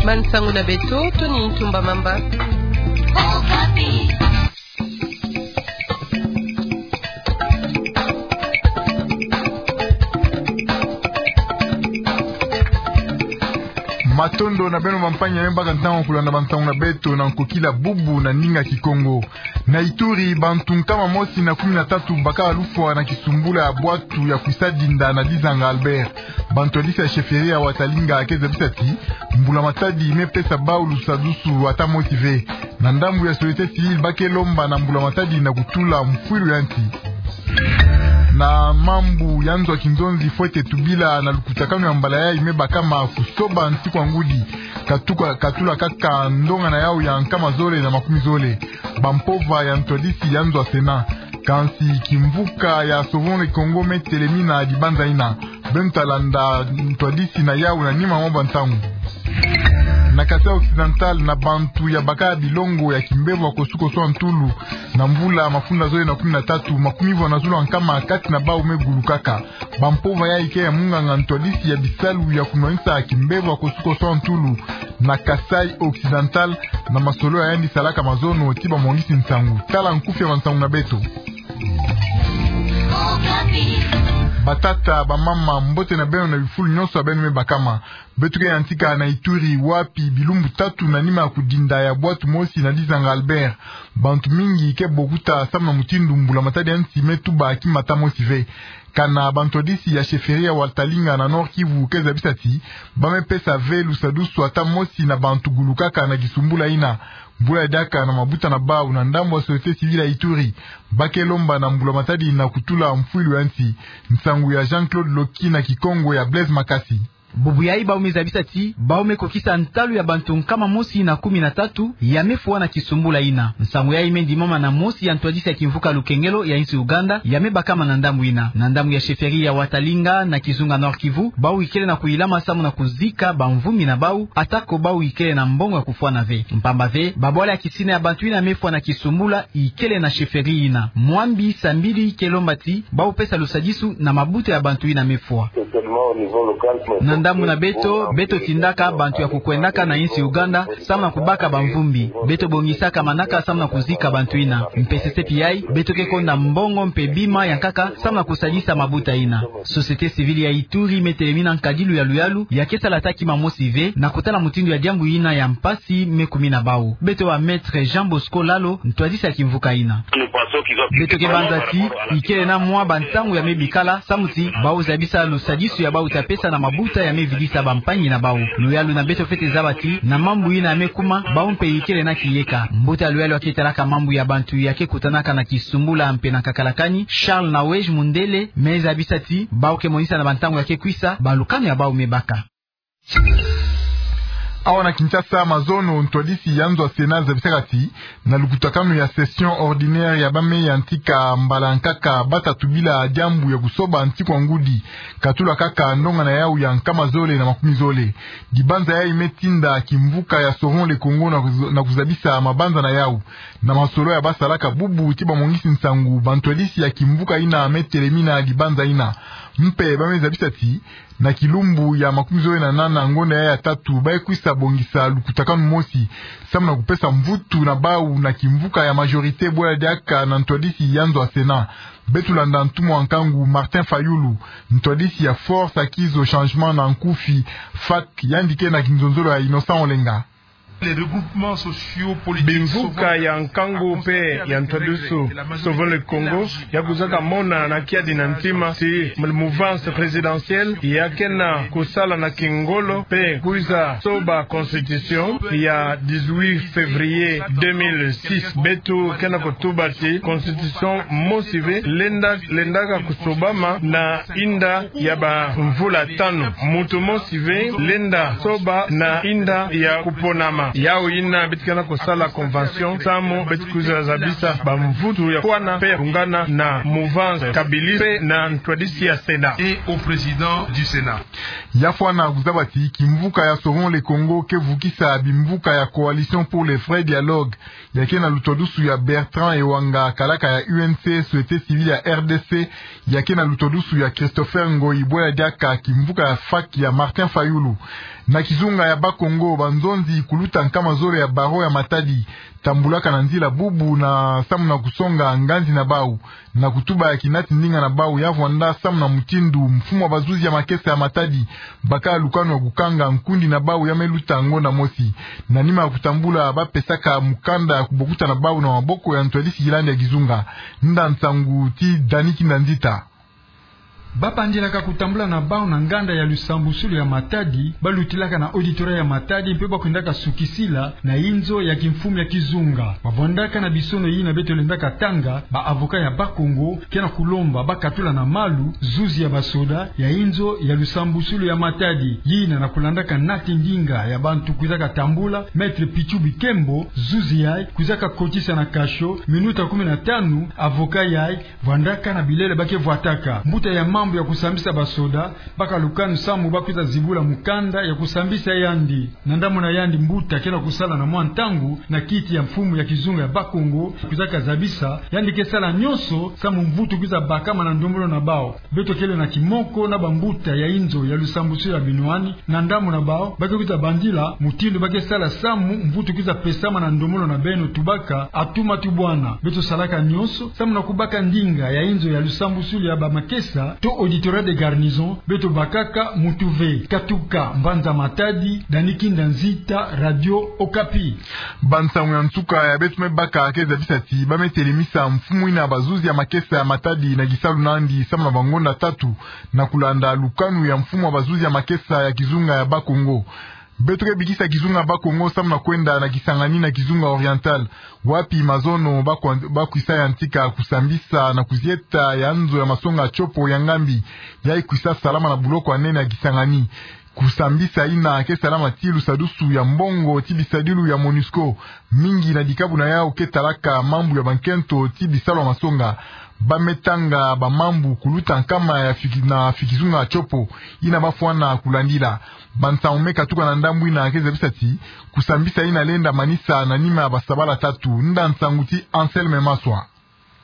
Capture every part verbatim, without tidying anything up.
Bansangu na beto, Tony Ntumba Mamba. Matondo na beno bampanya me baka ntangu ya kulanda bansangu na beto na nkokila bubu na ndinga Kikongo. Na Ituri, bantu nkama mosi na kumi na tatu bakaka lufwa na kisumbula ya bwatu ya kwisa dinda na Dizanga Albert. Bantwadisi ya chefferie ya Watalinga ke zabisa ti mbula matadi me pesa bau lusadusu ata mosi ve. Na ndambu ya société civile ba ke lomba na mbula matadi na kutula mfwilu ya nsi. Na mambu ya nzo ya kinzonzi, fwete tubila na lukutakanu ya mbala yayi me bakama kusoba nsi kwa ngudi, katuka, katula kaka ndongana yau ya nkama zole na makumi zole. Bampova ya ntwadisi ya nzo ya Sénat. Kansi kimvuka ya Sauvons le Congo me telemina dibanza yina. Beno ta landa ntwadisi na yau na nima mwa bansangu. Na Kasaï Occidental, na bantu ya baka bilongo ya kimbevo ya kosukoso ya ntulu na mvula mafunda zole na kumi na tatu, makumi vo na zulu ya nkama kati na bau me gulukaka. Bampova yayi ke ya munganga ntwadisi ya bisalu ya kunwanisa kimbevo ya kosukoso ya ntulu na Kasaï Occidental, na masolo ya yandi salaka mazono ti bamwangisi nsangu. Tala nkufi ya bansangu na beto. Batata, bamama, mbote na beno na bifulu nyonso ya beno me bakama. Beto ke yantika na Ituri, wapi bilumbu tatu na nima ya kudinda ya bwatu mosi na Dizanga Albert, bantu mingi ke bokuta samu na mutindu mbula matadi ya nsi me tuba kimata mosi ve. Kana bantwadisi ya chefferie ya Watalinga na Nord-Kivu ke zabisa ti ba me pesa ve lusadusu ata mosi na bantu gulukaka na kisumbula yina. Bula diaka na mabuta na bau na ndambu ya société civile ya Ituri, ba ke lomba na mbula matadi na kutula mfwilu ya nsi. Nsangu ya Jean-Claude Loki na Kikongo ya Blaise Makasi. Bubu yayi bau me zabisa ti bau me kokisa ntalu ya bantu nkama mosi na kumi na tatu ya me fwa na kisumbula yina. Nsangu yayi me ndimama na mosi ya ntwadisi ya kimvuka Lukengelo ya insi Uganda ya me bakama na ndambu yina. Na ndambu ya chefferie ya Watalinga na kizunga Nord-Kivu, bau ikele na kuyilama samu na kuzika bamvumbi na bau, atako bau ikele na mbongo ya kufwana ve. Mpamba ve, babwala ya kisina ya bantu yina me fwa na kisumbula ikele na chefferie yina. Mwambi Sambili ke lomba ti bau pesa lusadisu na mabuta ya bantu yina me fwa. Na ndambu na beto, beto tindaka bantu ya kukwendaka na insi Uganda samu na kubaka bamvumbi. Beto bongisaka manaka samu na kuzika bantu yina. Mpe sese pi yayi, beto ke konda mbongo mpe bima ya nkaka samu na kusadisa mabuta yina. Société civile ya Ituri me telemina nkadilu ya luyalu, ya ke sala ata kima mosi ve na kutala mutindu ya diambu yina ya mpasi me kumina bau. Beto wa Maître Jean Bosco Lalo, ntwadisi ya kimvuka yina. Beto ke banza ti ikele na mwa bantangu ya me bikala samu ti bau zabisa lusadisu ya bau ta pesa na mabuta ya me vidisa bampangi na bau. Luyalu na beto fwete zaba ti na mambu yina ya me kuma, bau mpe ikele na kiyeka. Mbuta luyalu ya ke talaka mambu ya bantu ya ke kutanaka na kisumbula mpe na kakalakani, Charles Nawej Mundele, me zabisa ti bau ke monisa na bantangu ya ke kwisa balukanu ya bau me baka. Awa na Kinshasa, mazono ntwadisi ya nzo ya Sénat zabisaka ti na lukutakanu ya session ordinaire ya ba me yantika mbala nkaka, ba ta tubila diambu ya kusoba nsi kwa ngudi, katula kaka ndongana yau ya nkama zole na makumi zole. Dibanza yayi me tinda kimvuka ya Sauvons le Congo na kuz-, na kuzabisa mabanza na yau. Na masolo ya ba salaka bubu ti bamwangisi nsangu, bantwadisi ya kimvuka yina me telemina dibanza yina. Mpe ba me zabisa ti na kilumbu ya makumi zole na nana ngonda ya tatu, ba ye kwisa bongisa lukutakanu mosi samu na kupesa mvutu na bau na kimvuka ya majorité, bwela diaka na ntwadisi ya nzo ya Sénat. Beto landa ntumwa nkangu Martin Fayulu, ntwadisi ya Force Acquise au Changement na nkufi, FAC, yandi ke na kinzonzolo ya Innocent Olenga. Bimvuka ya nkangu mpe ya ntwadisu Sauvons le Congo ya kwizaka mona na kiadi na ntima ti mouvance présidentielle ya ke na kusala na kingolo mpe kwiza soba constitution ya dix-huit février deux mille six. Beto ke na kutuba ti constitution mosi ve lenda, lendaka kusobama na inda ya bamvula tanu. Muntu mosi ve lenda soba na inda ya kuponama. Yau yina beto ke na kusala convention samu beto kwiza zabisa bamvutu ya kwana mpe ya kungana na mouvance kabiliste mpe na ntwadisi ya Sénat. Et au président du Sénat. Ya fwana kuzaba ti kimvuka ya Sauvons le Congo ke vukisa bimvuka ya Coalition pour le vrai dialogue, ya ke na lutwadusu ya Bertrand Ewanga, kalaka ya U N C, société civile ya R D C, ya ke na lutwadusu ya Christopher Ngoyi, bwela diaka kimvuka ya FAC ya Martin Fayulu. Na kizunga ya Bas-Congo, banzonzi kuluta nkama zole ya barreau ya Matadi tambulaka na nzila bubu na samu na kusonga nganzi na bau, na kutuba ya kinati ndinga na bau ya vwanda samu na mutindu mfumu wa bazuzi ya makesa ya Matadi baka lukanu ya kukanga nkundi na bau ya me luta ngonda mosi. Na nima ya kutambula, bapesaka mukanda ya kubokuta na bau na maboko ya ntwadisi yilandi ya kizunga. Nda nsangu ti Dani Kinda Nzita. Babandilaka kutambula na bau na nganda ya lusambusulu ya Matadi, balutilaka na auditorat ya Matadi mpe bakwendaka sukisila na inzo ya kimfumu ya kizunga. Bavwandaka na bisono yina beto lendaka tanga, ba avocat ya Bas-Congo ke na kulomba bakatula na malu zuzi ya basoda ya inzo ya lusambusulu ya Matadi. Yina na kulandaka nati ndinga ya bantu kwizaka tambula, Maître Pichu Bikembo, zuzi yayi kwizaka kotisa na cachot minuta kumi na tanu, avocat yayi vwandaka na bilele ba ke vwataka. Mbuta ya mambu ya kusambisa basoda baka lukanu samu bakwiza zibula mukanda ya kusambisa yandi. Na ndambu na yandi, mbuta ke na kusala na mwa ntangu na kiti ya mfumu ya kizunga ya Bas-Congo, kwizaka zabisa yandi ke sala nyonso samu mvutu kwiza bakama na ndombolo na bau. Beto kele na kimoko na bambuta ya inzo ya lusambusulu ya binwani, na ndambu na bau ba ke kwiza bandila mutindu ba ke sala samu mvutu kwiza pesama na ndombolo na beno, tubaka: Atuma tubwana. Beto salaka nyonso samu na kubaka ndinga ya inzo ya lusambusulu ya bamakesa to auditorat de garnison, beto bakaka mutu ve. Katuka mbanza Matadi, Dani Kinda Nzita, Radio Okapi. Bansangu ya nsuka ya beto me baka ke zabisa ti ba me telemisa mfumu yina bazuzi ya makesa ya Matadi na kisalu nandi samu na bangonda tatu, na kulanda lukanu ya mfumu wa bazuzi ya makesa ya kizunga ya Bas-Congo. Beto ke bikisa kizunga Bas-Congo samu na kwenda na Kisangani na kizunga oriental, wapi mazono bakwa-, bakwisa yantika kusambisa na kuzieta ya nzo ya masonga Tshopo ya Ngambi, yayi kwisa salama na buloko ya nene ya Kisangani. Kusambisa yina ke salama ti lusadusu ya mbongo ti bisadilu ya MONUSCO. Mingi na dikabu na yau ke talaka mambu ya bankento ti bisalu ya masonga. Ba me tanga bamambu kuluta nkama ya fiki-, na kizunga Tshopo, yina bafwana kulandila. Bansangu me katuka na ndambu yina ke zabisa ti kusambisa yina lenda manisa na nima ya basabala tatu. Nda nsangu ti Anselme Maswa.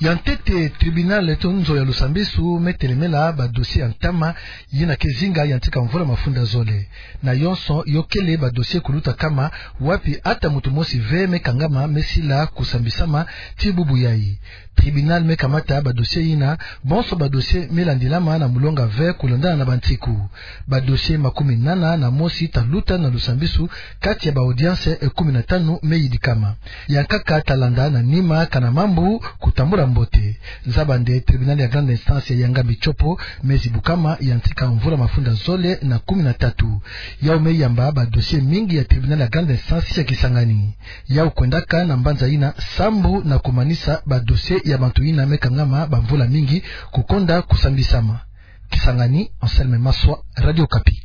Ya ntete, tribunal to nzo ya lusambisu me telemela badossier ya ntama yina ke zinga yantika mvula mafunda zole. Na yonso yo kele badossier kuluta nkama, wapi ata mutu mosi ve me kangama me sila kusambisama ti bubu yayi. Tribunal me kamata badossier yina, bonso badossier me landilama na mulonga ve kulandana na bantiku. Badossier makumi nana na mosi ta luta na lusambisu, kati ya baaudience kumi na tanu me yidikama. Yankaka ta landa na nima kana mambu kutambula mbote. Zaba nde tribunal ya grande instance ya Ngambi Tshopo me zibukama yantika mvula mafunda zole na kumi na tatu. Yau me yamba badossier mingi ya tribunal ya grande instance ya Kisangani. Yau kwendaka na mbanza yina sambu na kumanisa badossier ya bantu yina me kangama bamvula mingi kukonda kusambisama. Kisangani, Anselme Maswa, Radio Okapi.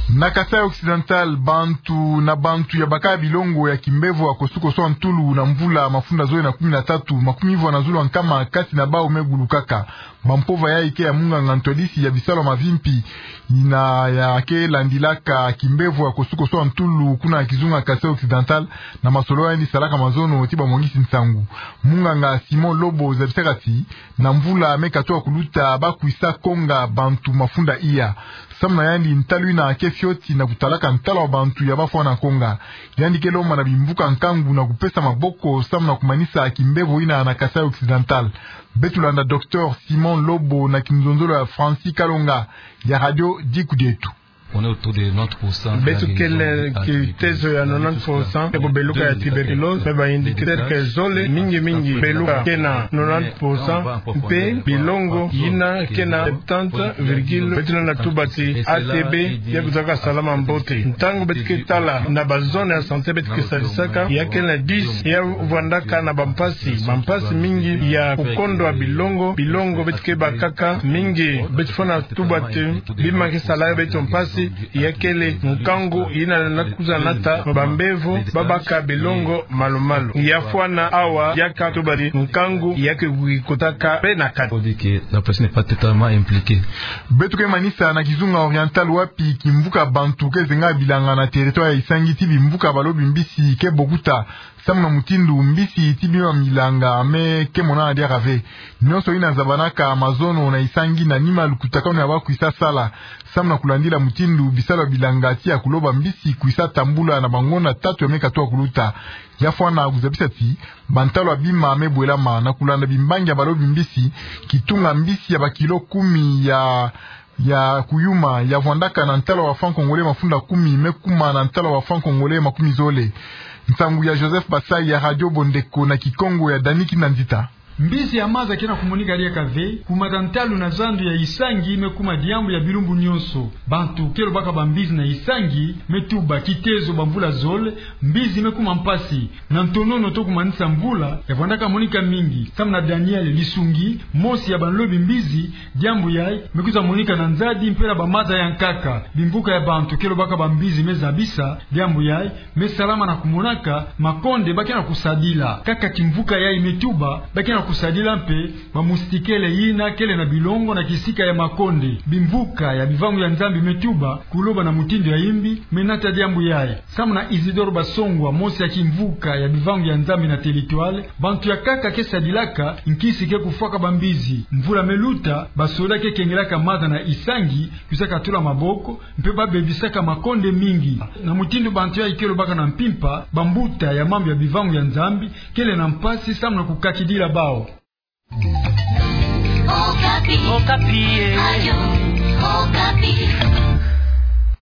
Na Kasaï Occidental, bantu na bantu ya baka bilongo ya kimbevo ya kosukoso ya ntulu na mvula mafunda zole na kumi na tatu, makumi vwa na zulu ya nkama kati na bau me gulukaka. Bampova yayi ke ya munganga ntwadisi ya bisalu ya mavimpi, yina ya ke landilaka kimbevo ya kosukoso ya ntulu kuna kizunga Kasaï Occidental, na masolo yandi salaka mazono ti bamwangisi nsangu. Munganga Simon Lobo zabisaka ti na mvula me katuka kuluta bakwisa konga bantu mafunda iya. Samu na yandi, ntalu yina ke fioti na kutalaka ntalu ya bantu ya bafwana konga. Yandi ke lomba na bimvuka nkangu na kupesa maboko samu na kumanisa kimbevo yina na Kasaï Occidental. Beto landa Docteur Simon Lobo na kinzonzolo ya Francis Kalonga ya Radio Diku Dieto. On est autour de nonante pour cent. Beto kele kitezo ya nonante pour cent ya kubeluka ya tuberculose, mais ba indicateur ke zole, mingi mingi beluka ke na nonante pour cent, mpe bilongo yina ke na septante virgule. Beto lenda tuba ti A T B ya kwizaka salama mbote. Ntangu beto ke tala na ba zone ya santé beto ke sadisaka, ya ke na dix ya vwandaka na bampasi, bampasi mingi ya kukondwa bilongo, bilongo beto ke bakaka mingi. Beto fwana tuba ti bima ke sala beto mpasi. ya kele nkangu yina na kuzanata bambevo babaka bilongo malu-malu. Ya fwana awa, ya katuba ti nkangu ya ke wikotaka pe na kati. On dit que la presse n'est pas totalement impliquée. Beto ke manisa na kizunga oriental wapi kimvuka bantu ke zenga bilanga na territoire ya Isangi ti bimvuka balo bimbisi ke bokuta. Samu na mutindu mbisi ti bima bilanga me ke monana diaka ve. Nyonso yina zabanaka mazono na Isangi na nima lukutakanu ya ba kwisa sala. Samu na kulandila mutindu bisalu ya bilanga ti ya kuloba mbisi kwisa tambula na bangonda tatu ya me katuka kuluta. Ya fwana kuzabisa ti bantalu ya bima me bwelama na kulanda bimbangi ya balo bimbisi, kitunga mbisi ya bakilo kumi ya ya kuyuma ya vwandaka na ntalu ya ba francs congolais mafunda kumi me kuma na ntalu ya ba francs congolais makumi zole. Nsangu ya Joseph Basai ya Radio Bondeko na Kikongo ya Dani Kinanzita. Mbisi ya maza ke na kumonika diaka ve, kumata ntalu na zandu ya Isangi me kuma diambu ya bilumbu nyonso. Bantu ke lobaka bambisi na Isangi me tuba kitezo bamvula zole, mbisi me kuma mpasi. Na ntonono to kumanisa mvula ya vwandaka monika mingi, samu na Daniel Lisungi, mosi ya banlobi mbisi, diambu yayi me kwiza monika na nzadi mpe na bamaza ya nkaka. Bimvuka ya bantu ke lobaka bambisi me zabisa, diambu yayi me salama na kumonaka makonde ba ke na kusadila. Kaka kimvuka yayi me tuba ba ke na kusadila mpe bamoustiquaire yina kele na bilongo na kisika ya makonde. Bimvuka ya bivangu ya Nzambi me tuba kuloba na mutindu ya imbi, me nata diambu yayi. Samu na Isidore Basongwa, mosi ya kimvuka ya bivangu ya Nzambi na Telitoile, bantu ya nkaka ke sadilaka nkisi ke kufwaka bambisi. Mvula me luta, basoda ke kengelaka maza na Isangi, kwiza katula maboko, mpe ba bebisaka makonde mingi. Na mutindu bantu yayi ke lobaka na mpimpa, bambuta ya mambu ya bivangu ya Nzambi kele na mpasi samu na kukakidila bawu. Okapi. Okapi, eh. Radio Okapi.